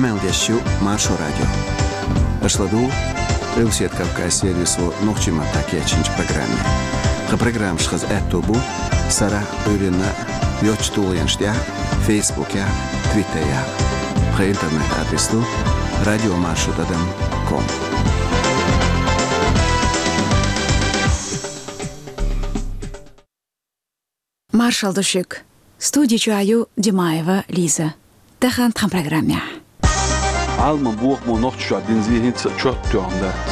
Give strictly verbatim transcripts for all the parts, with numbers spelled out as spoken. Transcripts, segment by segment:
Къамел деш ю Маршо радио. Аша ладугӀу Къилбаседа Кавказан сервисо нохчийн маттахь кечйинчу программе. Тхан программаш хаза аьтто бу сарахь а, Ӏуьйранна а йоцчу тулгӀенаш тӀехь а, Фейсбукехь а, Твиттерехь а. Тхан интернет-адрес ду радиомаршо тӀадам ком. Маршалла ду шуьга. Студи чохь ю Димаева Лиза. Тахана тхан программехь. Ӏаламан бохамо Нохчийчохь дина зе хӀинца а чот тоьхна дац.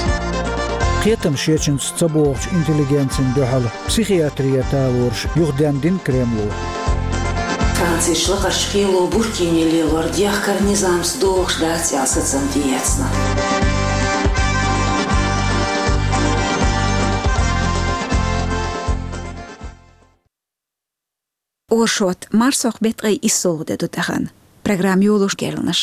Кхетам шечуьнца ца богӀучу интеллигенцина дуьхьал психиатрера талораш юхаденна дина Кремло. Францерчу лакхарчу кхело буркине лелор дехкар низамца догӀуш дац аьлла сацам тӀеэцна. Оршот, марсхьокху беттан ткъе иссалгӀа де ду тахана. Программа йолош керланаш.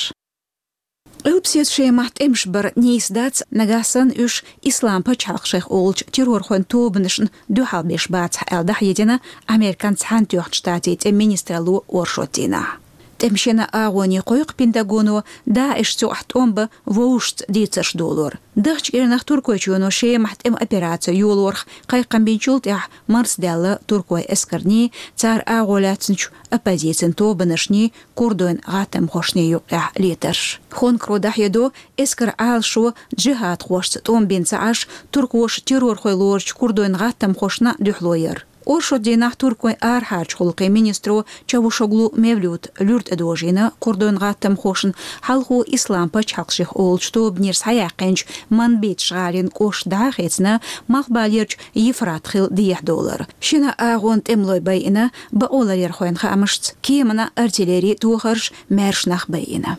Къилбаседа Шемахь тӀемаш бар нийса дац, нагахь санна уьш Ислам пачхьалкх шайх олучу террорхойн тобанашна дуьхьал беш бацахь аьлла дӀахьедина Американ Цхьаьнатоьхначу Штатийн тӀеман министралло оршот дийнахь. ТӀеман шина агӀоне кхойкху Пентагоно ДАИШ цу тӀом бан вовшашца дийцарш долор. Дахча кӀирнах Туркойчоьно Шемахь тӀеман операци йолорах кхайкхам бинчул тӀаьхьа марсадаьлла туркойн эскарний, цара агӀо лаьцначу оппозицин тобанашний, курдойн гӀаттамхошний юккъехь летарш. Хонкаро дӀахьедо, эскаран Ӏалашо джихадхошца тӀом бина ца Ӏаш, туркоша террорхой лоручу курдойн гӀаттамхошна дуьхьало яр. Оршот дийнахь туркойн арахьарчу гӀуллакхийн министро Чавушоглу Мевлюта луьра тӀедожийна курдойн гӀаттамхошна, хьалхо Ислам пачхьалкх шайх олучу тобанера схьаяьккхинчу Манбич гӀалин кӀошт дӀа а хецна, малхбалерчу Ефрат хил дехьадовлар. Шина агӀонан тӀемалой байина, бакъоларъярхойн хаамашца, кеманан, артиллерин тохарш, маьрша нах байина.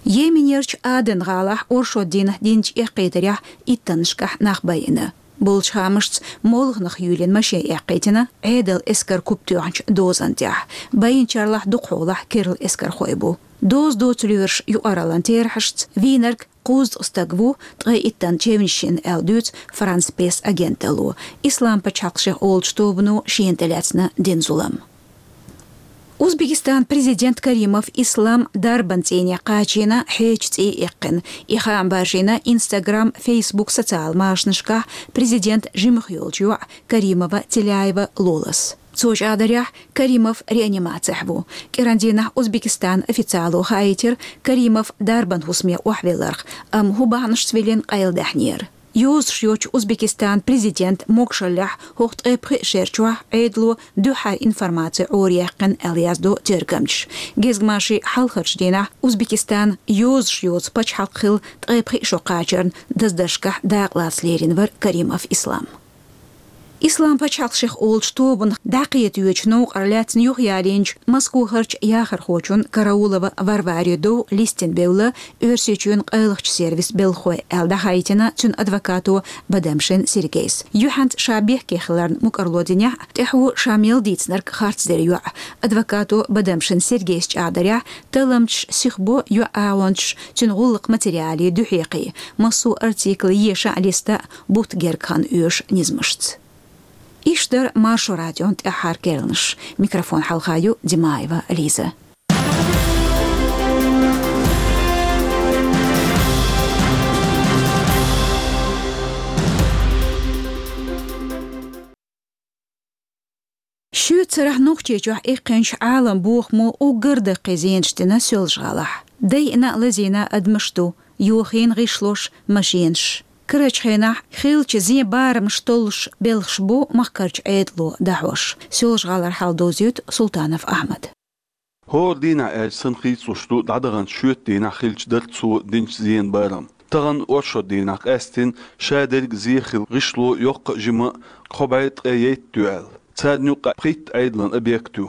Йеменерчу Аден гӀалахь оршот дийнахь динчу эккхийтарехь иттаннашкахь нах байина. Болчу хаамашца, молханах юьйлина машен эккхийтина Ӏедалан эскаран куп тоьхначу дозан тӀехь. Байинчарлахь дукхахьолахь керла эскархой бу. Доза доцу лоьраш юкъараллин терахьашца вийнарг кхузткъа стаг ву, ткъе иттанна чевнаш йина аьлла дуьйцу Франс-Пресс агенталло. Ислам пачхьалкх шайх олучу тобано шена тӀелаьцна дина зулам. Узбекистанан президент Каримов Ислам дарбан цӀийне кхачийна, хьечу цӀий иккхина. И хаам баржийна Instagram, Facebook социал машанашкахь президентан жимах йолчу йоӀа Каримова Теляева Лолас. Цо чӀагӀдарехь, Каримов реанимацехь ву. КӀиран дийнахь Узбекистанан официало хаийтира Каримов дарбан хӀусаме охьавелларх, амма хӀун бахьанашца виллина къайладаьхьнера. Йозуш йоцчу Узбекистанан президентан могушаллехь хӀокху ткъе пхи шер чохь Ӏедало дуьххьара информаци Ӏораяьккхина аьлла яздо тергамчаша. Гезгмашин хьалхарчу дийнахь Узбекистан йозуш йоцу пачхьалкх хилла ткъе пхи шо кхачарна даздаршкахь дакъалаца лерина вара Каримов Ислам. Ислам пачхьалкх шайх олучу тобанах дӀакхетавечу новкъара лаьцна юхаялийначу Москохарчу яхархочун Караулова Варваре дов листина бевлла Оьрсийчоьнан къайлахчу сервисан белхахой аьлла дӀахаийтина цуьнан адвокато Бадамшин Сергейс. Юьхьанца ша бехке хиларна мукӀарло динехь а, тӀаьхьо ша мел дийцинарг харцдира йоӀа. Адвокато Бадамшин Сергейс чӀагӀдарехь, талламчаш сихбо йоӀан агӀончаш цуьнан гӀуллакхан материале дуьхьекхий, массо а артикл еша а, листа а, бутт герга хан оьшу низамашца. Иштта дара Маршо радион тӀаьххьара керланаш. Микрофон хьалха ю Димаева Лиза. Шоьцарахь Нохчийчохь иккхинчу Ӏаламан бохамо уггар даккхий зенаш дина Соьлжа-ГӀалахь. Дайъина а, лазийна а адамаш ду, йохийна гӀишлош, машенаш. Карарчу хенахь хиллачу зен барамаш толлуш белхаш бу махкарчу Ӏедало дӀахьош. Соьлжа-ГӀалара хьал довзуьйту Султанов Ахьмада. ХӀора дийнахь аьлча санна хийцалуш ду дӀадаханчу шоьтан дийнахь хиллачу дарцо динчу зенан барам. Тахана оршот дийнахь къаьстина шадерг а, зе хилла гӀишло йоккха а, жима а кхо бӀе ткъе итт ю аьлла. Царна юккъехь пхийтта Ӏедалан объект ю.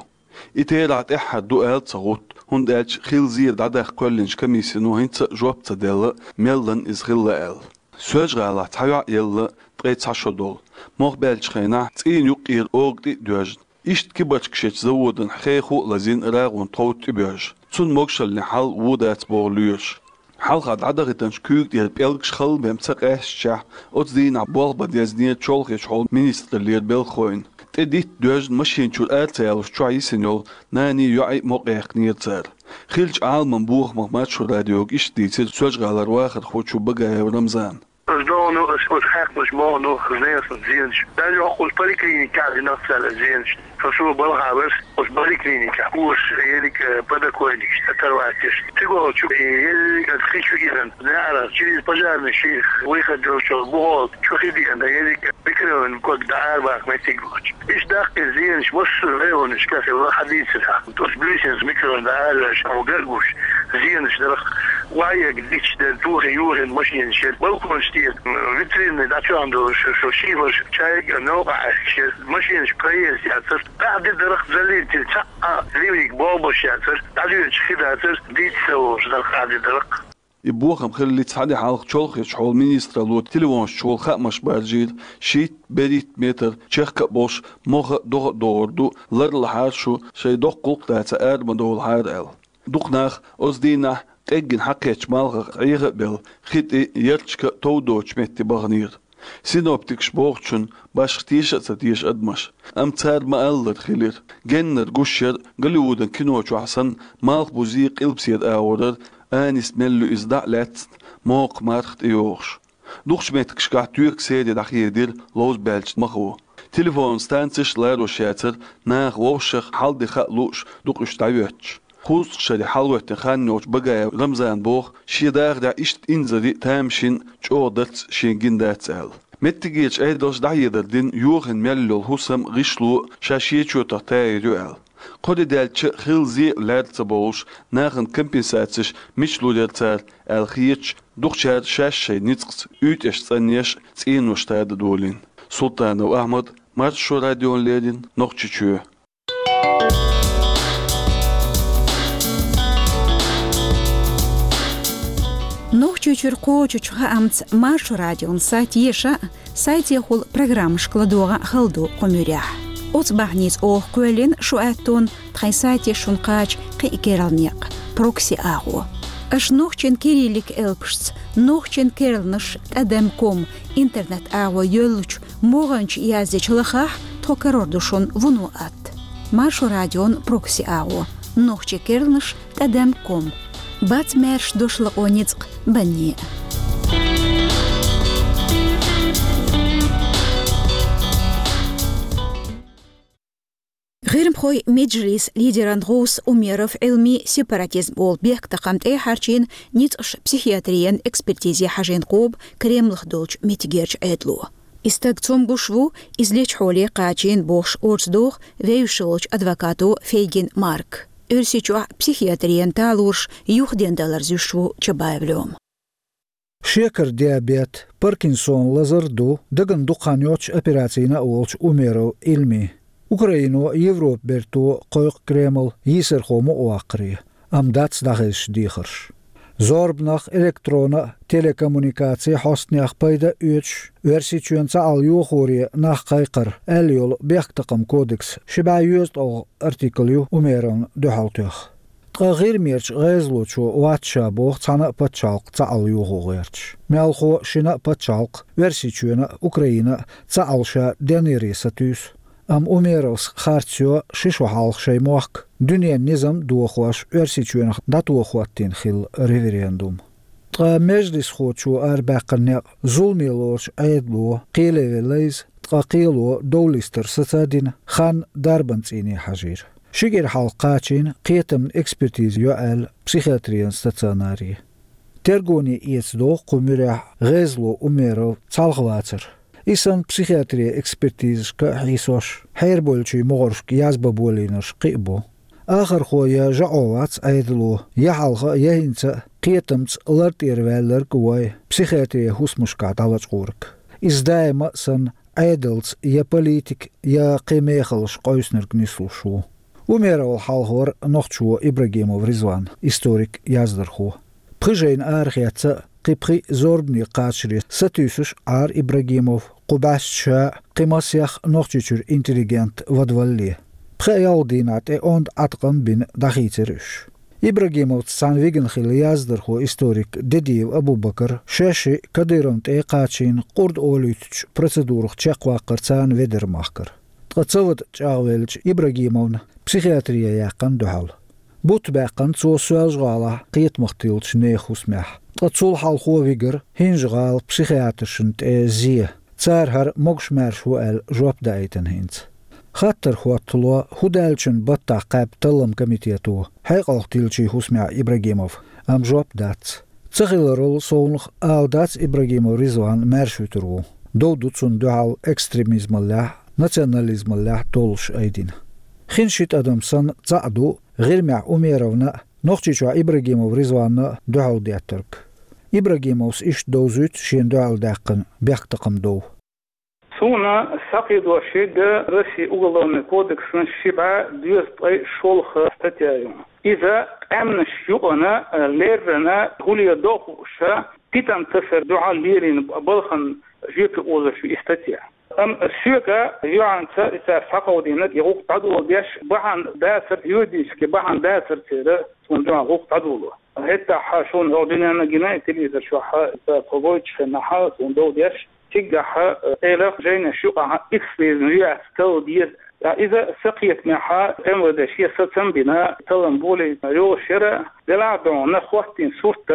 И терахь тӀаьххьара ду аьлла ца гӀутту, хӀунда аьлча хилла зер дӀадаккха кхоьллинчу комиссино хӀинца а жоп ца делла, мелла иза хилла аьлла. Соьлжа-ГӀалахь цхьа йоӀ елла ткъе цхьа шо долу. Мох баьллачу хенахь цӀийнан юккъера ога тӀе а доьжна. Иштта кибарчкашечу заводана хехо а лазийна, рагӀун тховда тӀебоьжна. Цунна могушаллин хьал вон дац боху лоьраша. Хьалха дӀадахийтинчу куьйга тӀера пӀелгаш халла бен ца къаьстачехь, оцу дийнахь болх бан дезнера чолхечу хьолан министраллера белхахойн. ТӀе дитта доьжна машина чуьра ара ца ялош чохь йисина йолу наний, йоӀий мукъаяьккхинера цара. Хиллачу Ӏаламан бохамах Маршо радиога иштта дийцира Соьлжа-ГӀалара вахархочо Багаев Рамзана. Ас догӀу, ас оцу хьаькъалаш боху, ас несна зенаш. Даже хӀокху поликлиникехь динарх цара зенаш. Со, со балха вара, оцу поликлиникехь, уьш ерриг, э, подоконникаш, оторвать еш. Цига волчу, э, ерриг ас хи чу гиран, неӀарах, через пожарный ши выход долчу бухол, чу хи диана, ерриг микрорайон ког дӀа арабаха меттиг волчу. Иштта даккхий зенаш массо а районашкахь хилла хьадийцира. Оцу Буьйсанца микрорайон дӀа араваьлча, хьо гар а гуш, зенаш дарх, ваьега дича дара, тухий юхийна машинаш яра, балконаш тӀера, м, витринаш дӀачӀогӀдолуш, шо шиферш чайга новкъа Ӏаьхкаш яра, машинаш проезд яцара, къаьхьа де дарх заллийтина, цхьа а ливниг болх беш яцара, дӀадоьдуш хи дацара, дийца ца волуш дарх къаьхьа де дарх. И бохам хиллалц хьан де хьалха Чолхечу хьолан министралло телефонаш чухула хаамаш баржийра, шийтта-берхӀитта метр чехка а болуш, мохь а, догӀа а догӀур ду, ларлахьара шу, шайн доккха гӀуллакх дацахь, ара ма довлахьара аьлла. Дукха нах оцу дийнахь къеггина хьакхеттачу малхах Ӏеха а белла, хи тӀе, ярташка а тов доцучу метте баханера. Синоптикаша бохучунна башха теша а ца теша адамаш, амма цара ма-аллара хилира. Геннара гуш яра Голливудан кино чохь санна, малхбузе къилбаседа агӀор яра, анис мел ю иза дӀа а лаьцна, мокха марха тӀейогӀуш. Дукхачу меттигашкахь тоька сере дӀахедира ловза баьллачу махо. Телефонан станцеш а ларош яцара, наха вовшах хьал-де хаа лууш дукха уьш дӀайоьттуш. Кхузткъа шаре хьалагӀоьттина хан йолчу Багаев Рамзана боху, шен дахарехь иштта инзаре а, тамашийна а чӀогӀа дарц шена гина дац аьлла. Меттигерчу Ӏедалша дӀахьедар дина йохийна мел йолу хӀусам а, гӀишло а ша шен чотах тайр ю аьлла. Кхо де даьлча а хилла зе а лаьрра ца бовлуш, нахана компенсацеш мича лур яра цара аьлла хеташ, дукхачара шаьш шайн ницкъаца уьйтӀеш цӀанъеш а, цӀенош тада долийна. Султанов Ахьмад, Маршо радиона леррина, Нохчийчоь. Нохчийчуьра кхочучу хаамца Маршо радион сайт еша а, сайтехула программашка ладогӀа а хала ду кху муьрехь. Оцу бахьаница оха кхоьллина шу аьттонна тхайн сайте шуна кхача кхин а керла некъ, прокси агӀо. Аша нохчийн кириллик элпашца, нохчийн керланаш тӀадам ком интернет-агӀо йоьллучу могӀанчу яздечу лахахь, тхо карор ду шуна вуно атта. Маршо радион прокси агӀо, нохчийн керланаш тӀадам ком. Бац маьрша дош лакъо ницкъ банне. ГӀирмахойн меджлис лидеран гӀовс Умеров Ӏилми сепаратизм олу бехктакхам тӀе хьарчийна ницкъаш психиатрин экспертизе хьажийна кхобу Кремлехь долчу меттигерчу Ӏедало. И стаг цомгуш ву, иза лечу хьоле кхачийна бохуш орца доху вевзаш волчу адвокато Фейгин Марк. Оьрсийчохь психиатрин талораш юхаден далар зуьйш ву Чабаев Лёма. Шекар диабет, Паркинсон лазар а ду дагна дукха хан йоццуш операцина а волчу Умеров Ӏилми. Украино а, Европа берто а кхойкху Кремль йийсархо мукъаваккхаре, амма дац дӀахезаш дехарш. Зорбанах, электрон а, телекоммуникаци хьостанех пайда а оьцуш, Оьрсийчоьнан цхьаалла йохоре нах кхайкхар аьлла йолу бехктакхаман кодексан ши бӀе йоьзткъалгӀа артикл ю Умеровна дуьхьал тоьхна. Ткъа ГӀирмерчу гӀезалочо вац ша боху цхьана а пачхьалкх цхьаалла йохо гӀерташ. Мелхо а, шина а пачхьалкх, Оьрсийчоьнан а, Украинан а, цхьаалла ша денъяре сатуьйсу. Амма Умеровс харц йо ши шо хьалха шайн мохк дуьненан низам а дохош Оьрсийчоьнах дӀатоха хӀоттийна хилла референдум. Ткъа межлисхочо арабаьккхина некъ зуламе лоручу Ӏедало кхеле велла иза, ткъа кхело довлистар саца а дина, хан дарбан цӀийне хьажийра. Ши кӀира хьалха кхачийна кхетамна экспертиза йо аьлла психиатрин стационаре. Тергоне эца догӀу кху муьрехь гӀезало Умеров цхьалха вацар. И санна психиатрин экспертизашка а хьийсош, хьерабевллачийн могӀаршка язбан болийнарш кхин а бу. Ахархо я жаӀо вац Ӏедало, я хьалха а, я хӀинца а кхетамца лар тӀера ваьлларг а вой, психиатрин хӀусамашкахь дӀалачкъорг. Иза даима а санна, Ӏедалца я политика, я кхин мехаллаш къовсинарг нислуш ву. Умеровал хьалхавара нохчо Ибрагимов Ризван, историк, яздархо. Пхи жайна арахеца а, кхин пхиъ зорбане кхачаре сатуьйсуш Ӏара Ибрагимов, кху бӀаьстачу ша а, кхин масех а Нохчийчуьра интеллигент вадвалале. Пхи-ялх дийнахь тӀе онда Ӏаткъам а бина дӀахийцира уьш. Ибрагимовца цхьаьна вигна хилла яздархо, историк Дедиев Абубакар шаьш а Кадыровна тӀе а кхачийна, къурд олуьйтучу процедурах чекхваккхара царна ведар махкара. Ткъа ца вада чӀагӀвеллачу Ибрагимовна психиатрие яьккхина дуьхьал. Бутт баьккхина цо Соьлжа-ГӀалахь кхетамах тиллачу нехан хӀусамехь. Ткъа цул хьалхо вигира ХӀинжа-ГӀала психиатршна тӀе зе. Цара хӀара могуш-маьрша ву аьлла жоп даийтина хӀинца. Хаттар хӀоттало, хӀун даьллачун баттахь кхаьбна таллам комитето хьекъалх тиллачийн хӀусамехь Ибрагимов, амма жоп дац. Ца хиларал совнах ала дац Ибрагимов Ризван маьрша вуьтур ву. Дов ду цунна дуьхьал экстремизмаллехь, национализмаллехь толлуш айдина. Хин ши тӀадам санна цхьаъ ду ГӀирмехь Умеровна а, Нохчийчохь Ибрагимов Ризванна а дуьхьал деттарг. Ибрагимовс иштта довзуьйту шена дуьхьал даьккхина бехктакхаман дов. Суна схьакхийдош ерг Россин Уголовный кодексан ши бӀе дезткъе шолгӀа статья ю. Иза къаьмнаш юкъана, леррина, хӀуле до хууш, питана тасар дуьхьал лелийна балхана жоьпе озош ю и статья. Амма соьга юьхьанца и цара схьакховдийнарг, и гӀуллакх дӀадоладеш бахьана дацар, юридически бахьана дацар церан суна дуьхьал гӀуллакх дӀадоло. ХӀетахь шуна хӀокху дуьненна гина, телевизор чохь цара тхо гойтучу хенахь суна дов деш, цигахь, э, элах жайнаш юкъахь икс везна ю аьлла талла деза. Ткъа иза сакхетамехь МВД шен сацам а бина, таллам болийта йолуш яра, делахь а дуьхьал хӀоттийна сурт,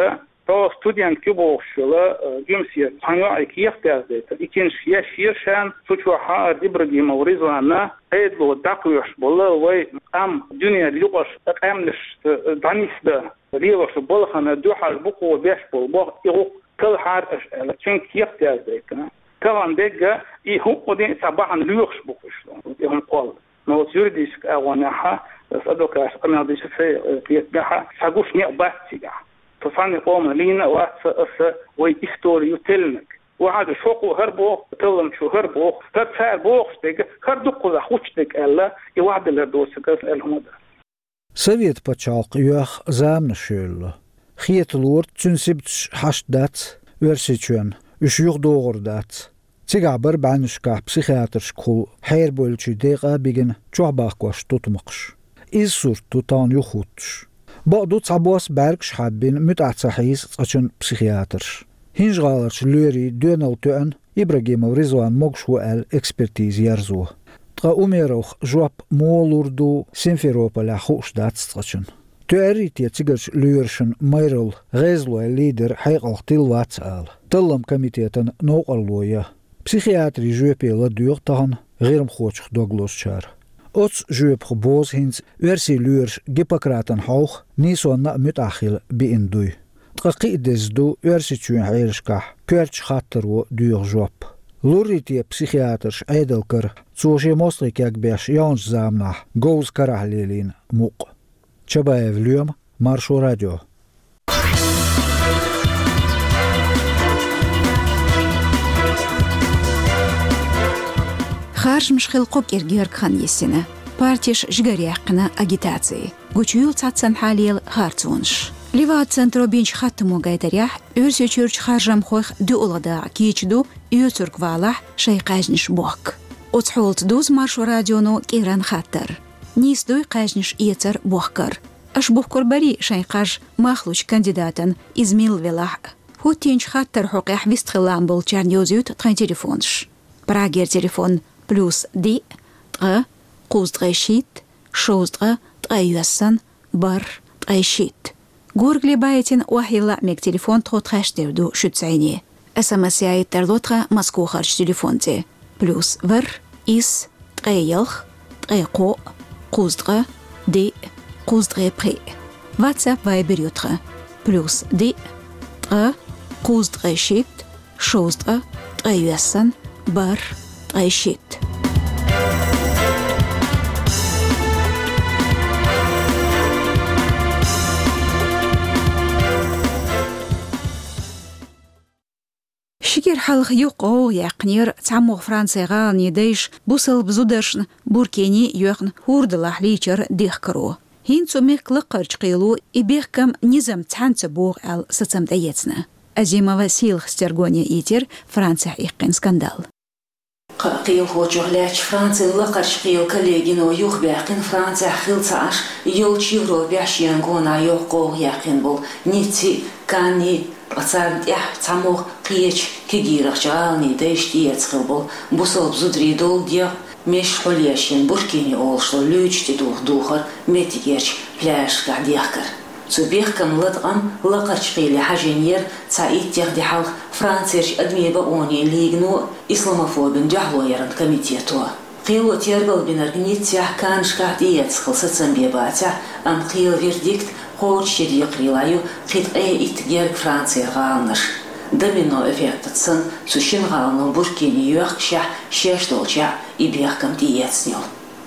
тхо студент ю бохуш йолу, э, жимсера цхьана йоӀе кехат яздайтар. И киншка еш яра шена, цу чохь хӀара Ибрагимов Ризванна Ӏедало дӀакхоьхьуш болу вай къам дуьненан юкъарчу къаьмнашца дӀанисдан лелош балхана дуьхьал бу кхо беш болу боху и гӀуллакх талхьара аша аьлла, цуьнга кехат яздайтина. Тахана дерг и хӀуъа дин а цхьа бахьана лоьхуш бу-кх уьш, и хӀума кхолла. Но оцу юридически агӀонехь, аса адвокаташна къамел дича сайн, э, кхетамехь, схьагуш некъ бац цигахь. Со цхьана къоман лийна а вац аса, вай истори ю теллинарг. Вахьадаш хӀокхо хӀара боху, талламчо хӀара боху, хӀара цара бохуш дерг, хӀара дуккхузахь хуьттуш дерг аьлла, и вахьадалар доцург аса аьлла хӀума дан. Совет пачхьалкх йоьхна заманаш йолало. Хеталора, цуьнан сибаташ хьашт дац Оьрсийчоьнна, уьш юхадогӀур дац. Цигахь бара бӀеннашкахь психиатршкахула хьерабевллачийн декъа а бигина чохь бахкош тутмакхаш. Иза сурт ду тахана юхахӀуттуш. Бакъду, цхьабосса бӀаьргаш хьаббина муьтӀахь ца хьийза цкъачунна психиатрш. ХӀинжа-ГӀаларчу лоьрийн доьналла тоьъна Ибрагимов Ризван могуш ву аьлла экспертиза ерзо. Ткъа Умеровх жоп муха лур ду Симферополехь хууш дац цкъачунна. Тоьарий те цигарчу лоьрашна майралла гӀезалойн лидер хьекъалх тилла вац ала, таллам комитетан новкъарло ян. Психиатрийн жоьпе ладоьгӀу тахана гӀирмахочух дог лозучара. Оцу жоьпах бозу хӀинца оьрсийн лоьраша Гиппократан хьовха нийсонна а муьтӀахь хила биъна дуй. Ткъа кхин а деза ду Оьрсийчоьнан хьелашкахь коьртачу хаттаро доьху жоп. Луррий те психиатрш Ӏедалан кара, цо шен мостагӀий кегбеш яханчу заманахь говза карахь лелийна мукъ? Чабаев Лоьма, Маршо радио. Харжамаш хилла кхо кӀира гергга хан йисина. Партеш жигара яьккхина агитаци. Гучуйолу цхьаццанхьа лела харцонаш. Левада-центро бинчу хаттамо гайтарехь, Оьрсийчуьрчу харжамхойх дуьхьал дакъа кийча ду, оьцург валахь шайн кхаьжнаш бохка. Оцу хьолаца дузу Маршо радионо кӀиран хаттар. Нийса дуй кхаьжнаш эцар бохкар? Аша бухкур барий шайн кхаж мах лучу кандидатан, иза милла велахь а? ХӀоттийначу хаттаран хьокъехь вистхила лаам болчарна йовзуьйту тхайн телефонаш. Прагера телефон: плюс диъ, ткъа, кхузткъе шийтта, шовзткъа, ткъе йоьссан, бархӀ, ткъе шийтта. Горгали байтина охьайилла а мега телефон тхо тхаьш тера ду шуьца зӀене. СМС яийта тарло тхан Москохарчу телефон тӀе: плюс ворхӀ, исс, ткъе ялх, ткъе кхоъ, кхузткъа, диъ, кхузткъе пхиъ. WhatsApp, Viber ю тхан: плюс диъ, ткъа, кхузткъе шийтта, шовзткъа, ткъе йоьссан, бархӀ, ткъе шийтта. Ши кӀира хьалха юха гӀовгӀа яьккхинера цхьамогӀа Францин гӀаланийн дайша бусалба зударшна буркини а йоьхна хӀордалахь лийчар дехкаро. ХӀинца цу мехкан лакхарчу кхело и бехкам низам цхьаьна ца богӀу аьлла сацам тӀеэцна. Азимова Сийлахас тергоне йитира Францехь иккхина скандал. Кхаа кхелахочух лаьтташ Францин лакхарчу кхелан коллегино юхабаьккхина Францехь хилла ца Ӏаш йолчу Европехь шена гонах йоккха гӀовгӀа яьккхина болу Ницци, Канни, ткъа царна тӀехь цхьамогӀа кхечу кегийрахчу гӀаланийн дайша тӀеэцна хилла болу бусалба зударийн долу дегӀ, Меш хьулъеш йина Буркини олуш долу луьйчу тӀедуху духар меттигерчу пляжашкахь дехкар. Цу бехкаман латкъам лакхарчу кхеле хьажийнера цхьа иттех де хьалха Францерчу адамийн бакъонийн лигано а, исламофобина дуьхьало яран комитето а. Кхело тергал бинарг Ниццехь, Каннашкахь тӀеэцна хила сацам бен бацахь а, амма кхелан вердикт кхочушъян декхарийлахь ю кхин ткъе итт герга Францера гӀаланаш. Домино эффектаца санна, цу шина гӀалано Буркини йоьхкашехь, шаьш долчохь и бехкам тӀеэцна йолу.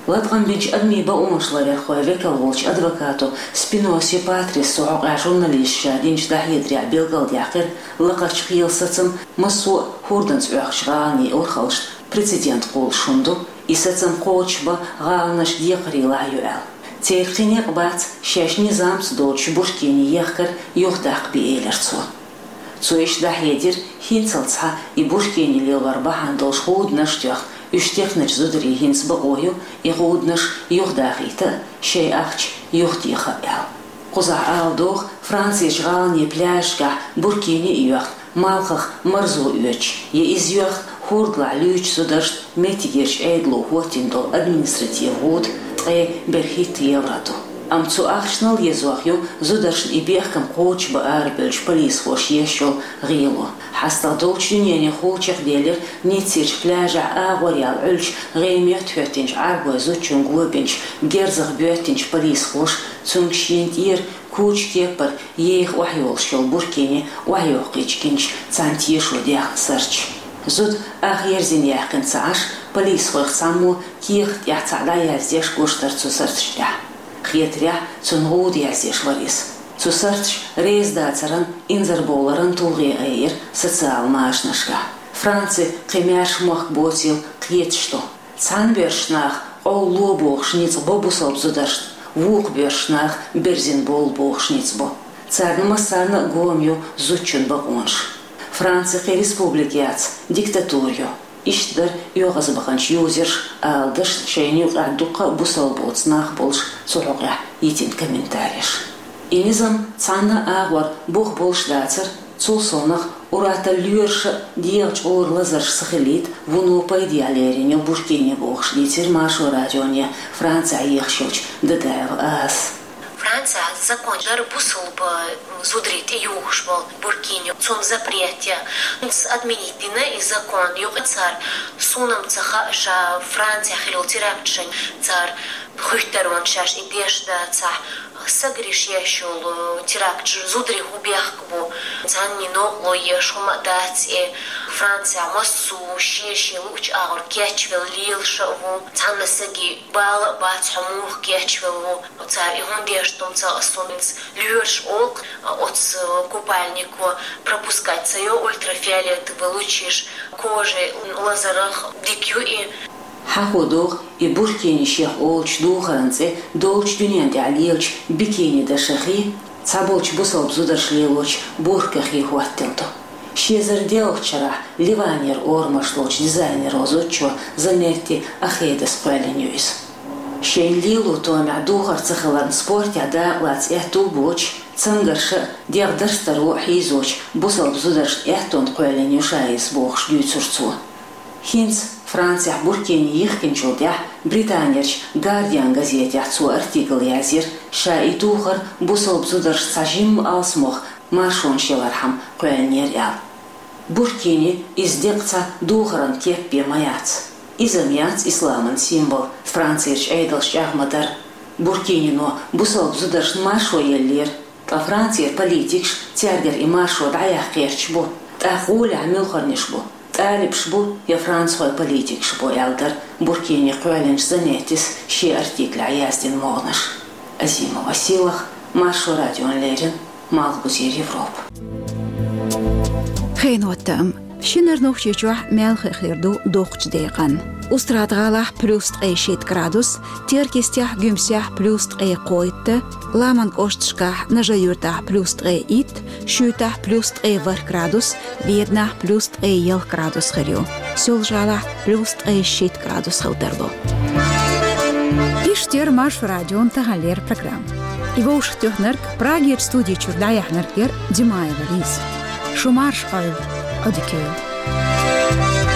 Латкъам бинчу адамийн бакъонаш ларъярхойн векал волчу адвокато Спиноси Патрисо хьокъехь журналисташа динчу дӀахьедарехь билгалдаьккхира, лакхарчу кхелан сацам массо а хӀорданца Ӏохкучу гӀаланийн урхаллашна прецедент кхуллуш хӀума ду, и сацам кхочушбан гӀаланаш декхарийлахь ю аьлла. Церан кхин некъ бац шаьш низамца доцуш Буркини ехкар юхадаккха бен, элира цо. Цо иштта дӀахьедира, хӀинццалц схьа и Буркини лелор бахьана долуш гӀуданаш а тоьхна, уьш техначу зударийн хӀинца бакъо ю и гӀуданаш юхадахийта а, шайн ахча юхатеха а аьлла. Кхузахь ала догӀу, Францерчу гӀаланийн пляжашкахь Буркини а йоьхна, малхах марзо оьцуш, я иза йоьхна хӀордалахь луьйчу зударшна меттигерчу Ӏедало хӀоттийна долу административан гӀуда ткъе берхӀитта евро ду. Амма цу ахчанал езох ю зударшна и бехкам кхочушбан арабевллачу полисхоша еш йолу гӀело. ХьастагӀа долчу дуьненан хьулчех делира Ниццерчу пляжехь агӀор яьлла Ӏуьллучу гӀеметтахӀоьттинчу Ӏарбойн зудчунна го бинчу герзах боьттинчу полисхоша цуьнга шена тӀера кучу кепара еха охьайолуш йолу Буркини охьайоккхуьйтуш гинчу цхьана тешо даьхна сарташ. Зуда ах ерзина яьккхина ца Ӏаш, полисхойх цхьаммо кехат тӀехь цхьаъ дӀаяздеш гуш дара цу сарташна тӀехь. Хетарехь, цунна гӀуда яздеш вара иза. Цу сарташа реза дацаран, инзарбовларан тулгӀе айира социал машанашкахь. Франци кхин маьрша мохк боцийла кхеташ ду. Цхьана боьрша наха къовла ло бохуш ницкъ бо бусалба зударшна, вукху боьрша наха берзина бовла бохуш ницкъ бо. Царна массарна а гома ю зудчун бакъонаш. Франци кхин республика яц, диктатура ю. Иштта дара оьгӀазбаханчу юзерш, ала дашна шайна юкъахь дуккха а бусалба боцу нах болуш цу хьокъехь йитина комментареш. И низам цхьанна а агӀор бух болуш дацара, цул совнаха ур-атталла лоьраша а, дегӀан чкъуран лазарша ца хилийта вуно пайдехь лерина ю Буркини бохуш, дийцира Маршо радионе Францехь ехаш йолчу Дадаева Азас. Францехь закон дара бусалба зударий тӀеюхуш болу Буркини, цунна запрет ян. Иза отменить дина и закон. Юкъа цара, суна-м ца хаьа, ша Францехь хилла теракт шайна цара хуьттур ван шаьш и деш дацахь, сагарш еш йолу теракт, зударий хӀун бехк бу, цхьанний новкъарло еш хӀума а дац и. Францехь массо а шен-шен луучу агӀор кечвелла лелаш а ву, цхьанна саги бала а бац, хьо муха кечвелла ву. Цара и хӀунда деш ду-м ца хаьа суна, иза лоьраша олу, оцу купальнико пропускать ца йо ультрафиолетовый лучаш, кожа лазарах дика ю и. Хьахо догӀу, и Буркини шех олучу духаран цӀе долчу дуьнен тӀехь лелачу бикини дашахий, цхьаболчу бусалба зударша лелочу буркахий хӀоттийна ду. Ши эзар диъалгӀачу шарахь Ливанера орамаш лоцучу дизайнеро зудчо Занетти Ахедас кхоьллина ю иза. Шайна лело томехь духар ца хиларна спортехь дакъалаца аьтту а боцуш, цамгарша а, дегӀ дарстаро а хьийзочу бусалба зударшна аьттонна кхоьллина ю ша иза бохуш дуьйцура цо. ХӀинца Францехь Буркини йихкинчул тӀаьхьа Британерчу Guardian газетехь цо артикл язйира, ша и духар бусалба зударшна цхьа жимма алсамох маршонаш ялархьама кхоьллинера аьлла. Буркини иза деккъа цхьа духаран кеп бен ма яц. Иза-м яц исламан символ, Францерчу Ӏедалша чӀагӀ ма-дарра. Буркинино бусалба зударшна маршо еллера, ткъа Францера политикаш цаьргара и маршо дӀаяхьа кхерчаш бу, тӀаккха гӀолехь муьлхарниш бу, тӀалибаш бу я францхойн политикаш бу, аьлла дара Буркини кхоьллинчу Занеттис шен артиклехь яздина могӀанаш. Азима Василах, Маршо радиона леррина, Малхбузера Европа. Хенан хӀоттам. Шинара Нохчийчохь мел хи хир ду доккхачу декъан. Устрада-ГӀалахь плюс ткъе шийтта градус, Теркйистехь, Гуьмсехь плюс ткъе кхойтта, Ламан кӀошташкахь, Нажи-Юьртахь плюс ткъе итт, Шуьйтахь плюс ткъе ворхӀ градус, Веданахь плюс ткъе ялх градус хир ю. Соьлжа-ГӀалахь плюс ткъе шийтта градус хила тарло. Иштта яра Маршо радион таханлера программа. И вовшахтоьхнарг, Прагерчу студи чуьра дӀаяьхьнарг яра Димаева Лиза. Шу марша Ӏойла, Ӏодика йойла.